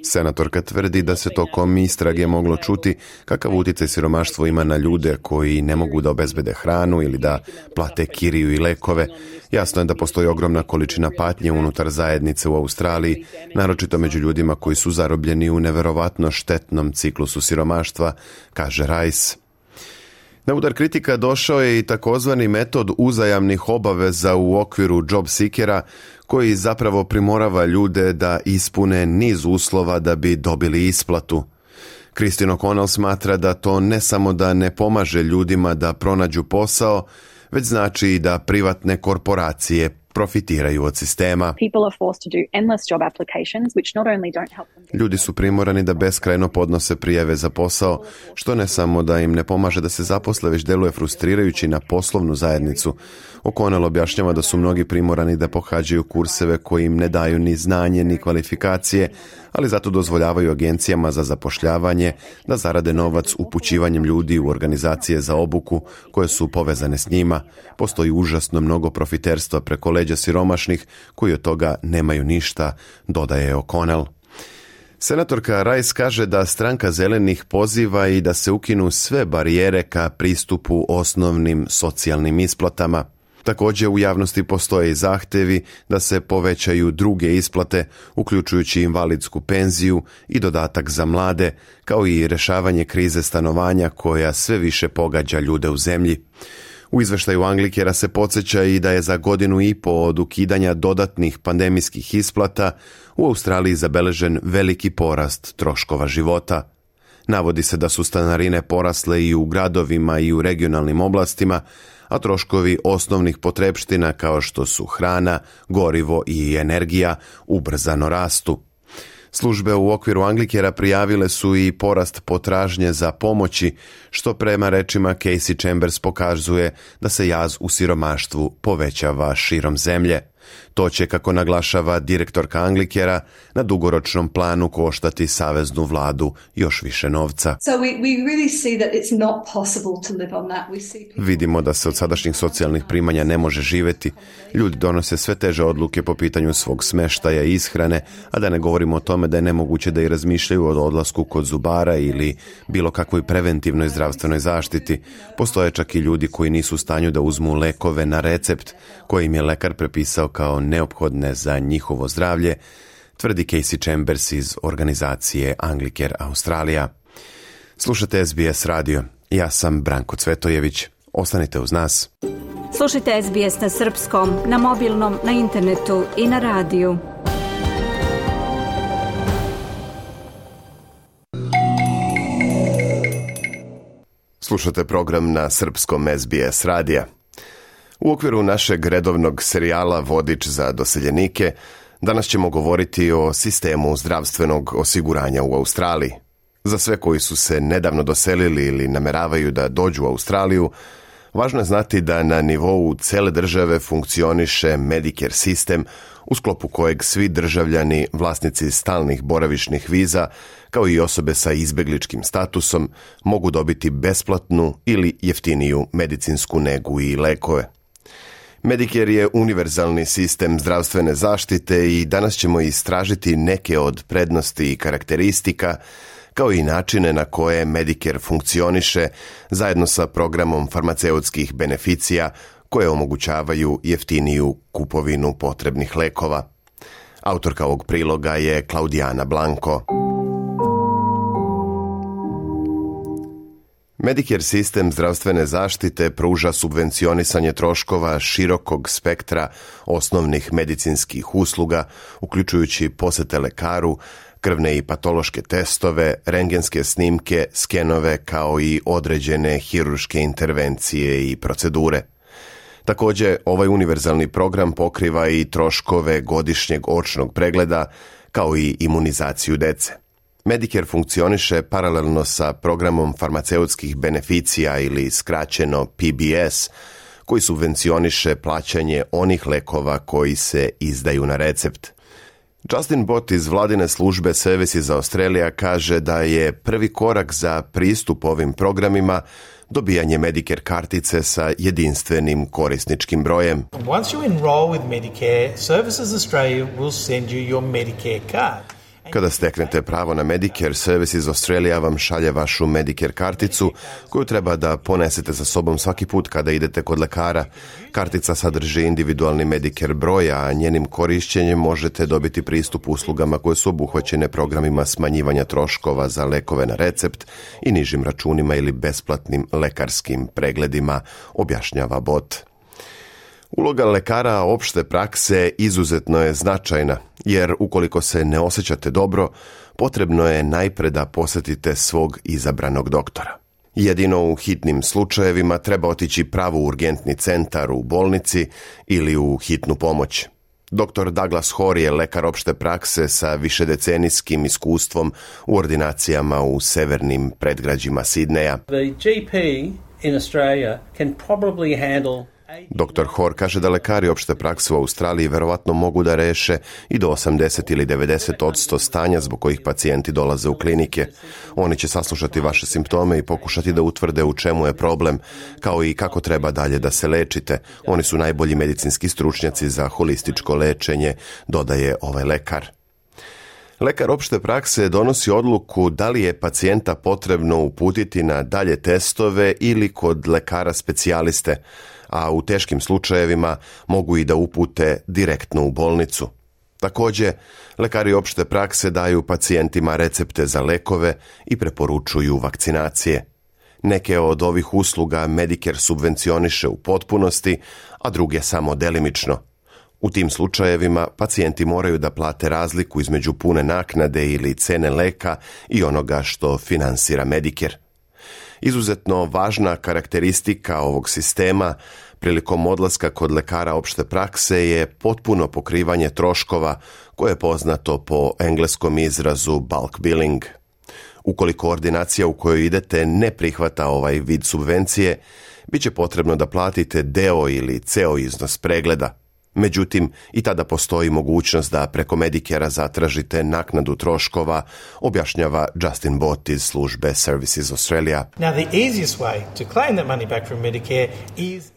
Senatorka tvrdi da se tokom istrage moglo čuti kakav utjecaj siromaštvo ima na ljude koji ne mogu da obezbede hranu ili da plate kiriju i lekove. Jasno je da postoji ogromna količina patnje unutar zajednice u Australiji, naročito među ljudima koji su zarobljeni u neverovatno štetnom ciklusu siromaštva, kaže Rice. Na udar kritika došao je i takozvani metod uzajamnih obaveza u okviru job seekera, koji zapravo primorava ljude da ispune niz uslova da bi dobili isplatu. Christine O'Connell smatra da to ne samo da ne pomaže ljudima da pronađu posao, već znači i da privatne korporacije profitiraju od sistema. Ljudi su primorani da beskrajno podnose prijave za posao, što ne samo da im ne pomaže da se zaposle, već deluje frustrirajući na poslovnu zajednicu. O'Connell objašnjava da su mnogi primorani da pohađaju kurseve koji im ne daju ni znanje ni kvalifikacije, ali zato dozvoljavaju agencijama za zapošljavanje da zarade novac upućivanjem ljudi u organizacije za obuku koje su povezane s njima. Postoji užasno mnogo profiterstva preko leđa siromašnih koji od toga nemaju ništa, dodaje O'Connell. Senatorka Rice kaže da stranka Zelenih poziva i da se ukinu sve barijere ka pristupu osnovnim socijalnim isplatama. Također u javnosti postoje i zahtevi da se povećaju druge isplate, uključujući invalidsku penziju i dodatak za mlade, kao i rješavanje krize stanovanja koja sve više pogađa ljude u zemlji. U izveštaju Anglicarea se podsjeća i da je za 1.5 godine od ukidanja dodatnih pandemijskih isplata u Australiji zabeležen veliki porast troškova života. Navodi se da su stanarine porasle i u gradovima i u regionalnim oblastima, a troškovi osnovnih potrepština kao što su hrana, gorivo i energija ubrzano rastu. Službe u okviru Anglicarea prijavile su i porast potražnje za pomoći, što prema rečima Casey Chambers pokazuje da se jaz u siromaštvu povećava širom zemlje. To će, kako naglašava direktorka Anglicarea, na dugoročnom planu koštati saveznu vladu još više novca. Vidimo da se od sadašnjih socijalnih primanja ne može živjeti. Ljudi donose sve teže odluke po pitanju svog smeštaja i ishrane, a da ne govorimo o tome da je nemoguće da i razmišljaju o odlasku kod zubara ili bilo kakvoj preventivnoj zdravstvenoj zaštiti. Postoje čak i ljudi koji nisu u stanju da uzmu lekove na recept koji im je lekar prepisao kao neophodne za njihovo zdravlje, tvrdi Casey Chambers iz organizacije Anglicare Australija. Slušate SBS radio. Ja sam Branko Cvetojević. Ostanite uz nas. Slušajte SBS na srpskom, na mobilnom, na internetu i na radiju. Slušate program na srpskom SBS radija. U okviru našeg redovnog serijala Vodič za doseljenike danas ćemo govoriti o sistemu zdravstvenog osiguranja u Australiji. Za sve koji su se nedavno doselili ili nameravaju da dođu u Australiju, važno je znati da na nivou cele države funkcioniše Medicare sistem, u sklopu kojeg svi državljani, vlasnici stalnih boravišnih viza, kao i osobe sa izbegličkim statusom, mogu dobiti besplatnu ili jeftiniju medicinsku negu i lekove. Medicare je univerzalni sistem zdravstvene zaštite i danas ćemo istražiti neke od prednosti i karakteristika, kao i načine na koje Medicare funkcioniše zajedno sa programom farmaceutskih beneficija koje omogućavaju jeftiniju kupovinu potrebnih lekova. Autorka ovog priloga je Klaudijana Blanko. Medicare sistem zdravstvene zaštite pruža subvencionisanje troškova širokog spektra osnovnih medicinskih usluga, uključujući posete lekaru, krvne i patološke testove, rentgenske snimke, skenove kao i određene hirurške intervencije i procedure. Također, ovaj univerzalni program pokriva i troškove godišnjeg očnog pregleda kao i imunizaciju dece. Medicare funkcioniše paralelno sa programom farmaceutskih beneficija ili skraćeno PBS, koji subvencioniše plaćanje onih lekova koji se izdaju na recept. Justin Bott iz vladine službe Services Australia kaže da je prvi korak za pristup ovim programima dobijanje Medicare kartice sa jedinstvenim korisničkim brojem. Once you enroll with Medicare, Services Australia will send you your Medicare card. Kada steknete pravo na Medicare, Services Australia vam šalje vašu Medicare karticu koju treba da ponesete sa sobom svaki put kada idete kod lekara. Kartica sadrži individualni Medicare broj, a njenim korišćenjem možete dobiti pristup uslugama koje su obuhvaćene programima smanjivanja troškova za lekove na recept i nižim računima ili besplatnim lekarskim pregledima, objašnjava Bott. Uloga lekara opšte prakse izuzetno je značajna, jer ukoliko se ne osjećate dobro, potrebno je najpre da posjetite svog izabranog doktora. Jedino u hitnim slučajevima treba otići pravo u urgentni centar u bolnici ili u hitnu pomoć. Dr. Douglas Hoare je lekar opšte prakse sa višedecenijskim iskustvom u ordinacijama u severnim predgrađima Sidneja. The GP in Australia can probably handle. Dr. Hoare kaže da lekari opšte prakse u Australiji verovatno mogu da reše i do 80 ili 90% stanja zbog kojih pacijenti dolaze u klinike. Oni će saslušati vaše simptome i pokušati da utvrde u čemu je problem, kao i kako treba dalje da se lečite. Oni su najbolji medicinski stručnjaci za holističko lečenje, dodaje ovaj lekar. Lekar opšte prakse donosi odluku da li je pacijenta potrebno uputiti na dalje testove ili kod lekara specijaliste, a u teškim slučajevima mogu i da upute direktno u bolnicu. Također, lekari opšte prakse daju pacijentima recepte za lekove i preporučuju vakcinacije. Neke od ovih usluga Medicare subvencioniše u potpunosti, a druge samo delimično. U tim slučajevima pacijenti moraju da plate razliku između pune naknade ili cene leka i onoga što finansira Medicare. Izuzetno važna karakteristika ovog sistema prilikom odlaska kod lekara opšte prakse je potpuno pokrivanje troškova, koje je poznato po engleskom izrazu bulk billing. Ukoliko ordinacija u kojoj idete ne prihvata ovaj vid subvencije, bit će potrebno da platite deo ili ceo iznos pregleda. Međutim, i tada postoji mogućnost da preko Medicare-a zatražite naknadu troškova, objašnjava Justin Bott iz službe Services Australia.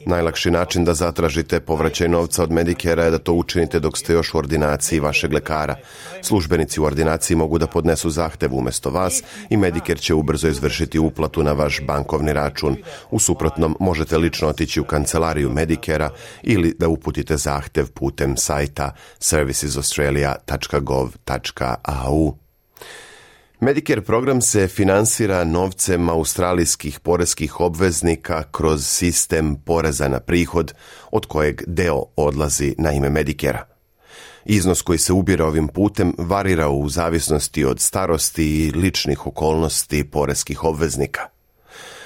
Najlakši način da zatražite povraćaj novca od Medicare-a je da to učinite dok ste još u ordinaciji vašeg lekara. Službenici u ordinaciji mogu da podnesu zahtev umjesto vas i Medicare će ubrzo izvršiti uplatu na vaš bankovni račun. U suprotnom, možete lično otići u kancelariju Medicare-a ili da uputite zahtev putem sajta servicesaustralia.gov.au. Medicare program se finansira novcem australijskih poreskih obveznika kroz sistem poreza na prihod, od kojeg deo odlazi na ime Medicare-a. Iznos koji se ubira ovim putem varira u zavisnosti od starosti i ličnih okolnosti poreskih obveznika.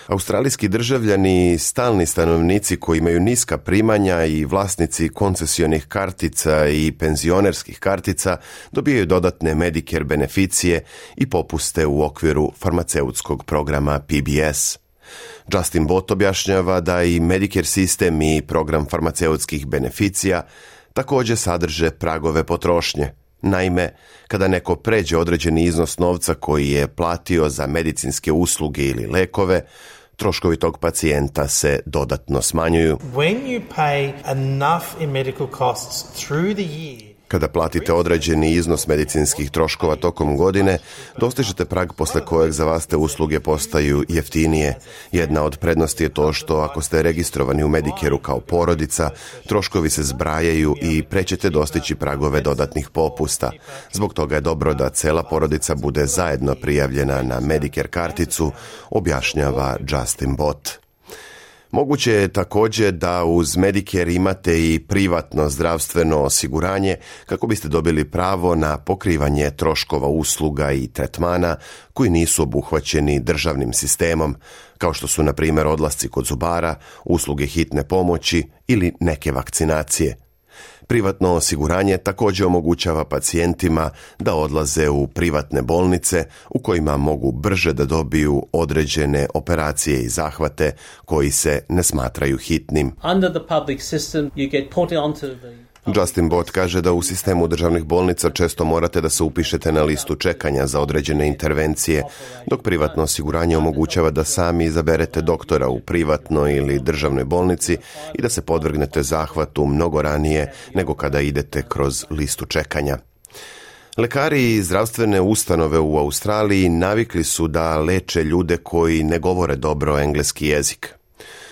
Australijski državljani i stalni stanovnici koji imaju niska primanja i vlasnici koncesionih kartica i penzionerskih kartica dobijaju dodatne Medicare beneficije i popuste u okviru farmaceutskog programa PBS. Justin Bott objašnjava da i Medicare sistem i program farmaceutskih beneficija također sadrže pragove potrošnje. Naime, kada neko pređe određeni iznos novca koji je platio za medicinske usluge ili lekove, troškovi tog pacijenta se dodatno smanjuju. When you pay enough in medical costs through the year, kada platite određeni iznos medicinskih troškova tokom godine, dostižete prag posle kojeg za vas te usluge postaju jeftinije. Jedna od prednosti je to što ako ste registrovani u Medicareu kao porodica, troškovi se zbrajaju i prećete dostići pragove dodatnih popusta. Zbog toga je dobro da cela porodica bude zajedno prijavljena na Medicare karticu, objašnjava Justin Bott. Moguće je također da uz Medicare imate i privatno zdravstveno osiguranje kako biste dobili pravo na pokrivanje troškova usluga i tretmana koji nisu obuhvaćeni državnim sistemom, kao što su na primjer odlasci kod zubara, usluge hitne pomoći ili neke vakcinacije. Privatno osiguranje također omogućava pacijentima da odlaze u privatne bolnice u kojima mogu brže da dobiju određene operacije i zahvate koji se ne smatraju hitnim. Justin Bott kaže da u sistemu državnih bolnica često morate da se upišete na listu čekanja za određene intervencije, dok privatno osiguranje omogućava da sami izaberete doktora u privatnoj ili državnoj bolnici i da se podvrgnete zahvatu mnogo ranije nego kada idete kroz listu čekanja. Lekari i zdravstvene ustanove u Australiji navikli su da leče ljude koji ne govore dobro engleski jezik.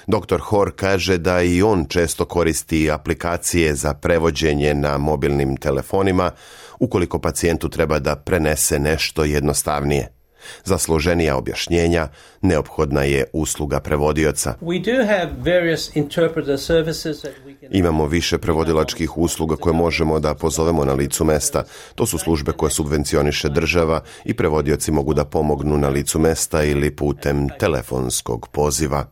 Dr. Hor kaže da i on često koristi aplikacije za prevođenje na mobilnim telefonima ukoliko pacijentu treba da prenese nešto jednostavnije. Za složenija objašnjenja neophodna je usluga prevodioca. Imamo više prevodilačkih usluga koje možemo da pozovemo na licu mesta. To su službe koje subvencioniše država i prevodioci mogu da pomognu na licu mesta ili putem telefonskog poziva.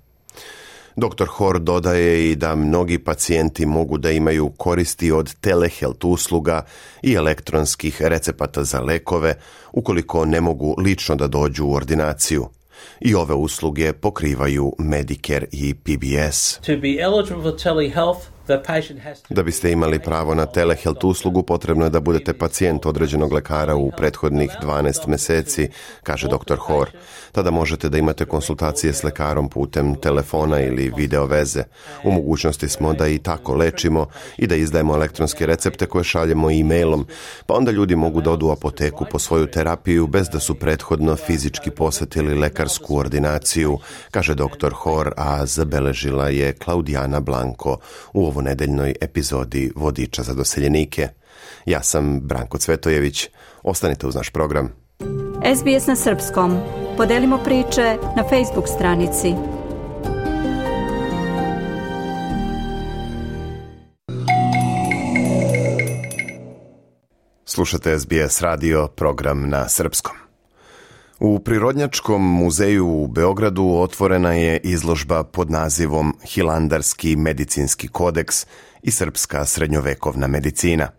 Dr. Hor dodaje i da mnogi pacijenti mogu da imaju koristi od telehealth usluga i elektronskih recepata za lekove ukoliko ne mogu lično da dođu u ordinaciju. I ove usluge pokrivaju Medicare i PBS. Da biste imali pravo na telehealth uslugu, potrebno je da budete pacijent određenog lekara u prethodnih 12 meseci, kaže dr. Hor. Tada možete da imate konsultacije s lekarom putem telefona ili video veze. U mogućnosti smo da i tako lečimo i da izdajemo elektronske recepte koje šaljemo e-mailom, pa onda ljudi mogu da odu u apoteku po svoju terapiju bez da su prethodno fizički posetili lekarsku ordinaciju, kaže dr. Hor, a zabeležila je Klaudijana Blanko u ovo nedeljnoj epizodi Vodiča za doseljenike. Ja sam Branko Cvetojević. Ostanite uz naš program. SBS na srpskom. Podelimo priče na Facebook stranici. Slušate SBS radio, program na srpskom. U Prirodnjačkom muzeju u Beogradu otvorena je izložba pod nazivom Hilandarski medicinski kodeks i srpska srednjovekovna medicina.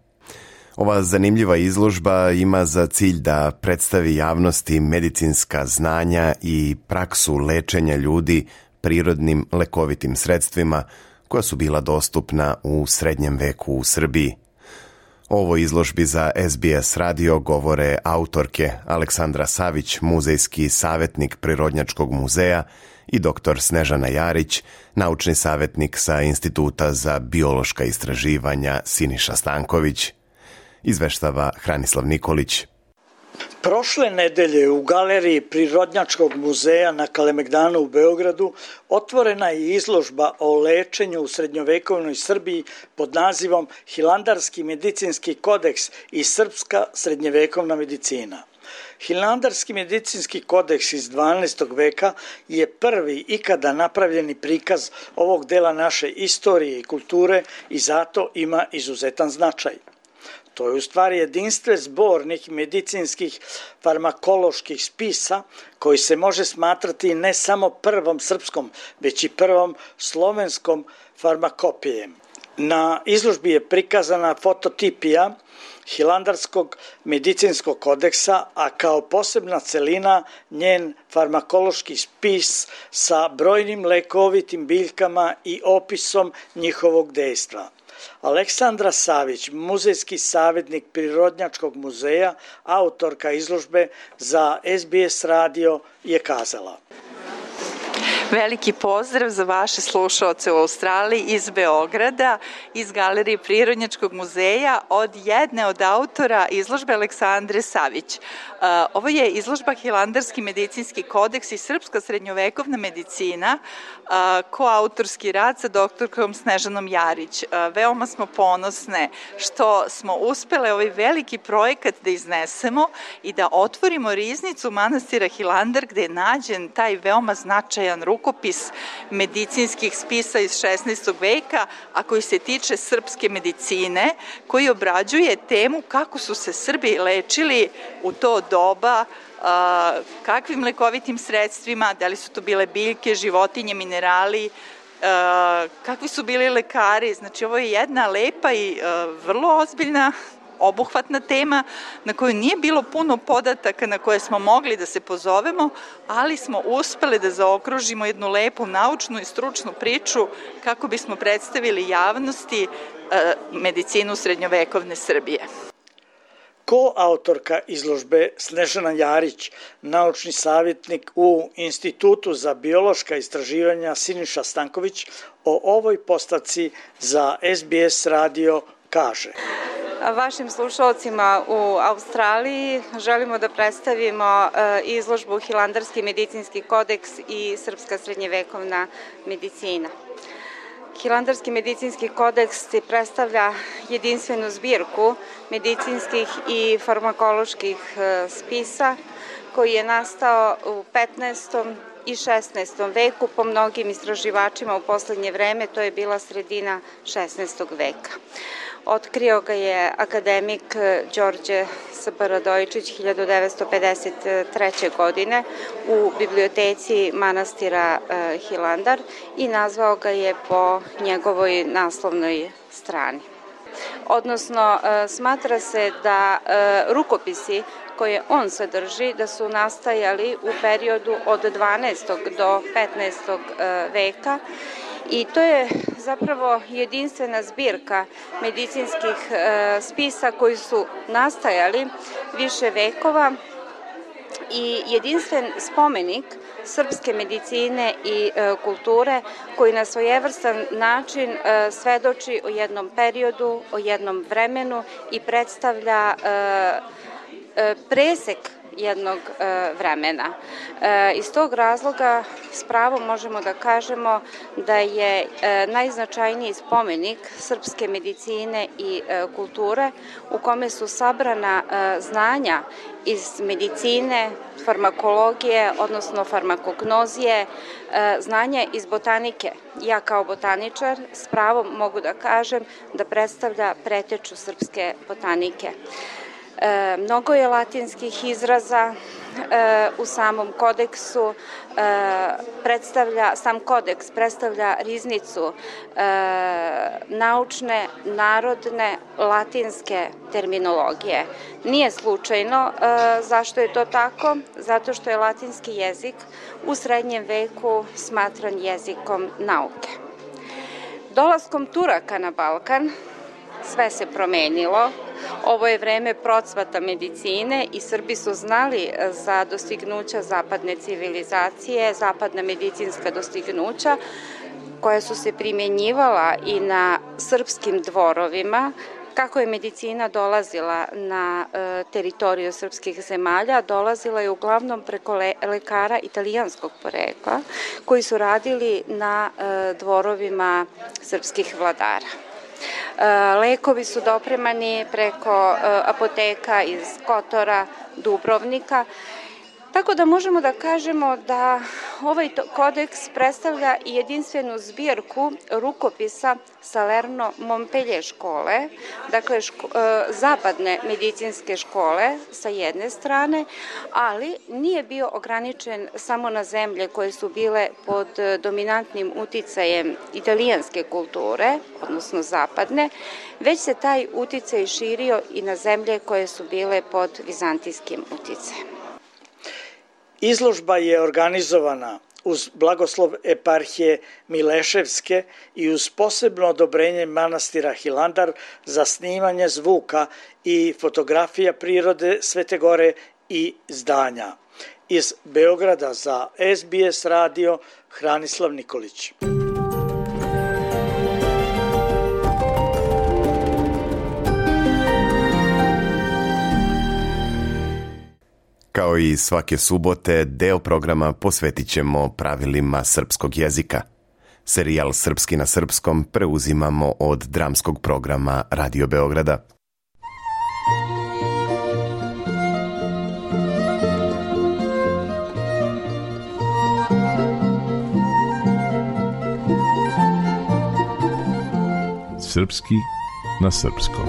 Ova zanimljiva izložba ima za cilj da predstavi javnosti medicinska znanja i praksu lečenja ljudi prirodnim lekovitim sredstvima koja su bila dostupna u srednjem veku u Srbiji. O ovoj izložbi za SBS radio govore autorke Aleksandra Savić, muzejski savjetnik Prirodnjačkog muzeja, i dr. Snežana Jarić, naučni savjetnik sa Instituta za biološka istraživanja Siniša Stanković. Izveštava Hranislav Nikolić. Prošle nedelje u galeriji Prirodnjačkog muzeja na Kalemegdanu u Beogradu otvorena je izložba o lečenju u srednjovekovnoj Srbiji pod nazivom Hilandarski medicinski kodeks i srpska srednjevekovna medicina. Hilandarski medicinski kodeks iz 12. veka je prvi ikada napravljeni prikaz ovog dela naše istorije i kulture i zato ima izuzetan značaj. To je u stvari jedinstven zbornik medicinskih farmakoloških spisa koji se može smatrati ne samo prvom srpskom, već i prvom slovenskom farmakopijem. Na izložbi je prikazana fototipija Hilandarskog medicinskog kodeksa, a kao posebna celina njen farmakološki spis sa brojnim lekovitim biljkama i opisom njihovog dejstva. Aleksandra Savić, muzejski savjetnik Prirodnjačkog muzeja, autorka izložbe za SBS radio, je kazala: Veliki pozdrav za vaše slušaoce u Australiji iz Beograda, iz Galerije Prirodnjačkog muzeja, od jedne od autora izložbe Aleksandre Savić. Ovo je izložba Hilandarski medicinski kodeks i srpska srednjovekovna medicina, koautorski rad sa doktorkom Snežanom Jarić. Veoma smo ponosne što smo uspele ovaj veliki projekat da iznesemo i da otvorimo riznicu manastira Hilandar gde je nađen taj veoma značajan rukopis medicinskih spisa iz 16. veka, a koji se tiče srpske medicine, koji obrađuje temu kako su se Srbi lečili u to doba, kakvim lekovitim sredstvima, da li su to bile biljke, životinje, minerali, kakvi su bili lekari. Znači, ovo je jedna lepa i vrlo ozbiljna obuhvatna tema na koju nije bilo puno podataka na koje smo mogli da se pozovemo, ali smo uspeli da zaokružimo jednu lepu naučnu i stručnu priču kako bismo predstavili javnosti medicinu srednjovekovne Srbije. Koautorka izložbe Snežana Jarić, naučni savjetnik u Institutu za biološka istraživanja Siniša Stanković o ovoj postavci za SBS radio kaže. Vašim slušalcima u Australiji želimo da predstavimo izložbu Hilandarski medicinski kodeks i srpska srednjevekovna medicina. Hilandarski medicinski kodeks predstavlja jedinstvenu zbirku medicinskih i farmakoloških spisa koji je nastao u 15. i 16. veku. Po mnogim istraživačima u poslednje vreme to je bila sredina 16. veka. Otkrio ga je akademik Đorđe Radojičić 1953. godine u biblioteci manastira Hilandar i nazvao ga je po njegovoj naslovnoj strani. Odnosno, smatra se da rukopisi koje on sadrži da su nastajali u periodu od 12. do 15. veka i to je zapravo jedinstvena zbirka medicinskih spisa koji su nastajali više vekova i jedinstven spomenik srpske medicine i kulture koji na svojevrstan način svedoči o jednom periodu, o jednom vremenu i predstavlja presek jednog vremena. Iz tog razloga s pravom možemo da kažemo da je najznačajniji spomenik srpske medicine i kulture u kome su sabrana znanja iz medicine, farmakologije, odnosno farmakognozije, znanja iz botanike. Ja kao botaničar s pravom mogu da kažem da predstavlja preteču srpske botanike. Mnogo je latinskih izraza u samom kodeksu, sam kodeks predstavlja riznicu naučne, narodne, latinske terminologije. Nije slučajno zašto je to tako, zato što je latinski jezik u srednjem veku smatran jezikom nauke. Dolaskom Turaka na Balkan sve se promenilo. Ovo je vreme procvata medicine i Srbi su znali za dostignuća zapadne civilizacije, zapadna medicinska dostignuća koja su se primjenjivala i na srpskim dvorovima. Kako je medicina dolazila na teritoriju srpskih zemalja, dolazila je uglavnom preko lekara italijanskog porekla koji su radili na dvorovima srpskih vladara. Lekovi su dopremani preko apoteka iz Kotora, Dubrovnika, tako da možemo da kažemo da ovaj kodeks predstavlja i jedinstvenu zbirku rukopisa Salerno-Montpellier škole, dakle zapadne medicinske škole sa jedne strane, ali nije bio ograničen samo na zemlje koje su bile pod dominantnim uticajem italijanske kulture, odnosno zapadne, već se taj uticaj širio i na zemlje koje su bile pod vizantijskim uticajem. Izložba je organizovana uz blagoslov eparhije Mileševske i uz posebno odobrenje manastira Hilandar za snimanje zvuka i fotografija prirode Svete Gore i zdanja. Iz Beograda za SBS radio Hranislav Nikolić. Kao i svake subote, deo programa posvetit ćemo pravilima srpskog jezika. Serijal Srpski na srpskom preuzimamo od dramskog programa Radio Beograda. Srpski na srpskom.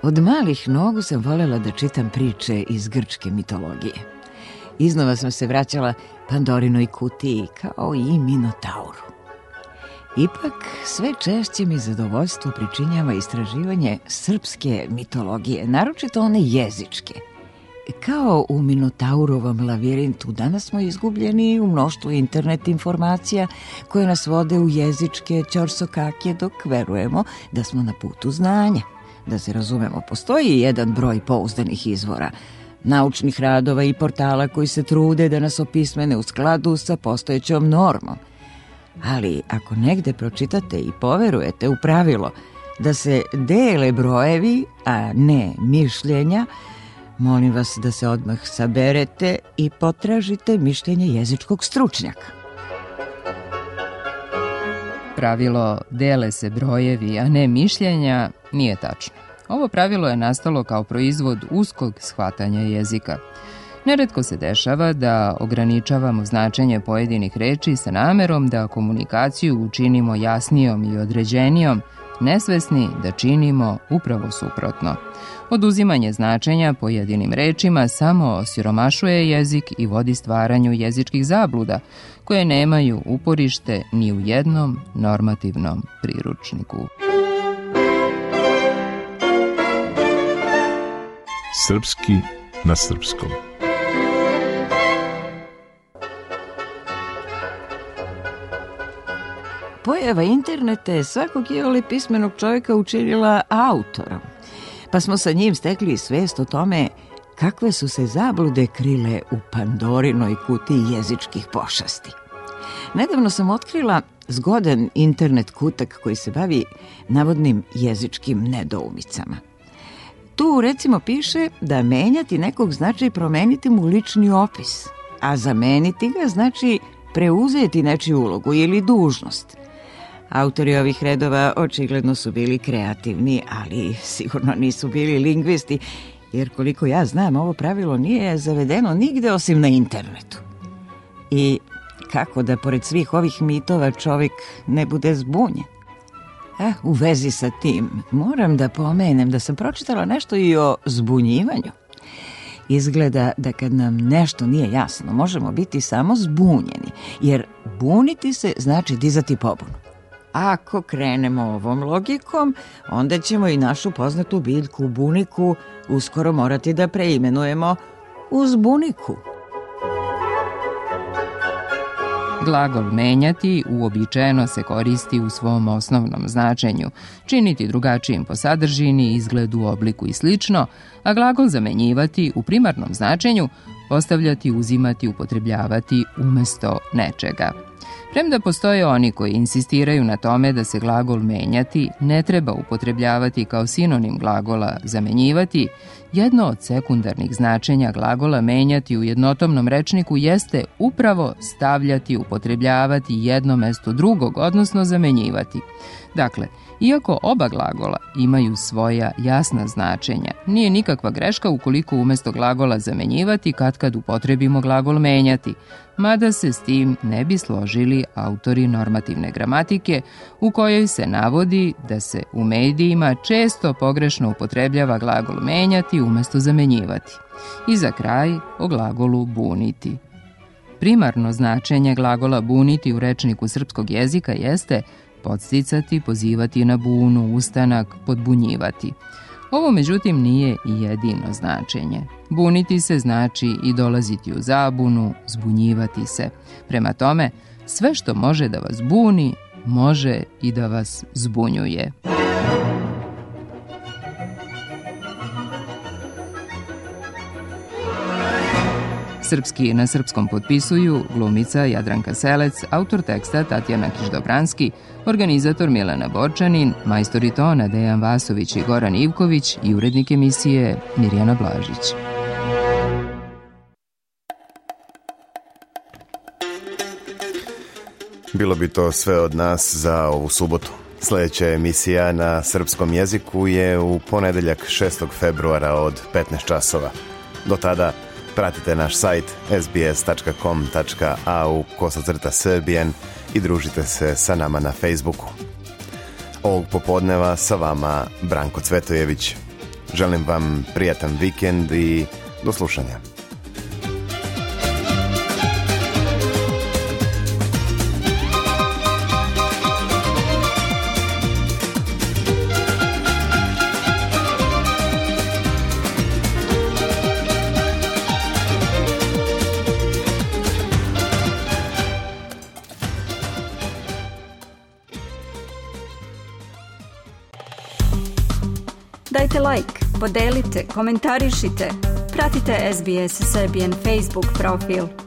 Od malih nogu sam voljela da čitam priče iz grčke mitologije. Iznova sam se vraćala Pandorinoj kutiji kao i Minotauru. Ipak sve češće mi zadovoljstvo pričinjava istraživanje srpske mitologije, naročito one jezičke. Kao u Minotaurovom lavirintu, danas smo izgubljeni u mnoštvu internet informacija koje nas vode u jezičke ćorsokake dok verujemo da smo na putu znanja. Da se razumemo, postoji jedan broj pouzdanih izvora, naučnih radova i portala koji se trude da nas opismene u skladu sa postojećom normom. Ali ako negde pročitate i poverujete u pravilo da se dele brojevi, a ne mišljenja, molim vas da se odmah saberete i potražite mišljenje jezičkog stručnjaka. Pravilo dele se brojevi, a ne mišljenja nije tačno. Ovo pravilo je nastalo kao proizvod uskog shvatanja jezika. Neretko se dešava da ograničavamo značenje pojedinih reči sa namerom da komunikaciju učinimo jasnijom i određenijom, nesvesni da činimo upravo suprotno. Oduzimanje značenja pojedinim rečima samo osiromašuje jezik i vodi stvaranju jezičkih zabluda, koje nemaju uporište ni u jednom normativnom priručniku. Srpski na srpskom. Pojava interneta je svakog iole pismenog čovjeka učinila autorom, pa smo sa njim stekli svest o tome kakve su se zablude krile u Pandorinoj kutiji jezičkih pošasti. Nedavno sam otkrila zgodan internet kutak koji se bavi navodnim jezičkim nedoumicama. Tu recimo piše da menjati nekog znači promeniti mu lični opis, a zameniti ga znači preuzeti nečiju ulogu ili dužnost. Autori ovih redova očigledno su bili kreativni, ali sigurno nisu bili lingvisti, jer koliko ja znam, ovo pravilo nije zavedeno nigde osim na internetu. I kako da pored svih ovih mitova čovjek ne bude zbunjen? U vezi sa tim moram da pomenem da sam pročitala nešto i o zbunjivanju. Izgleda da kad nam nešto nije jasno, možemo biti samo zbunjeni, jer buniti se znači dizati pobunu. Ako krenemo ovom logikom, onda ćemo i našu poznatu biljku buniku uskoro morati da preimenujemo u zbuniku. Glagol menjati uobičajeno se koristi u svom osnovnom značenju, činiti drugačijim po sadržini, izgledu, obliku i slično, a glagol zamenjivati u primarnom značenju postavljati, uzimati, upotrebljavati umesto nečega. Premda postoje oni koji insistiraju na tome da se glagol menjati ne treba upotrebljavati kao sinonim glagola zamenjivati, jedno od sekundarnih značenja glagola menjati u jednotomnom rečniku jeste upravo stavljati, upotrebljavati jedno mesto drugog, odnosno zamenjivati. Dakle, iako oba glagola imaju svoja jasna značenja, nije nikakva greška ukoliko umesto glagola zamenjivati katkad upotrebimo glagol menjati, mada se s tim ne bi složili autori normativne gramatike u kojoj se navodi da se u medijima često pogrešno upotrebljava glagol menjati umesto zamenjivati. I za kraj o glagolu buniti. Primarno značenje glagola buniti u rečniku srpskog jezika jeste podsticati, pozivati na bunu, ustanak, podbunjivati. Ovo međutim nije jedino značenje. Buniti se znači i dolaziti u zabunu, zbunjivati se. Prema tome, sve što može da vas buni, može i da vas zbunjuje. Srpski na srpskom potpisuju glumica Jadranka Selec, autor teksta Tatjana Kiš-Dobranski, organizator Milana Borčanin, majstori tona Dejan Vasović i Goran Ivković i urednik emisije Mirjana Blažić. Bilo bi to sve od nas za ovu subotu. Sljedeća emisija na srpskom jeziku je u ponedeljak 6. februara od 15 časova. Do tada pratite naš sajt sbs.com.au/Serbian i družite se sa nama na Facebooku. Ovog popodneva sa vama Branko Cvetojević. Želim vam prijatan vikend i do slušanja. Dajte like, podelite, komentarišite. Pratite SBS Serbian Facebook profil.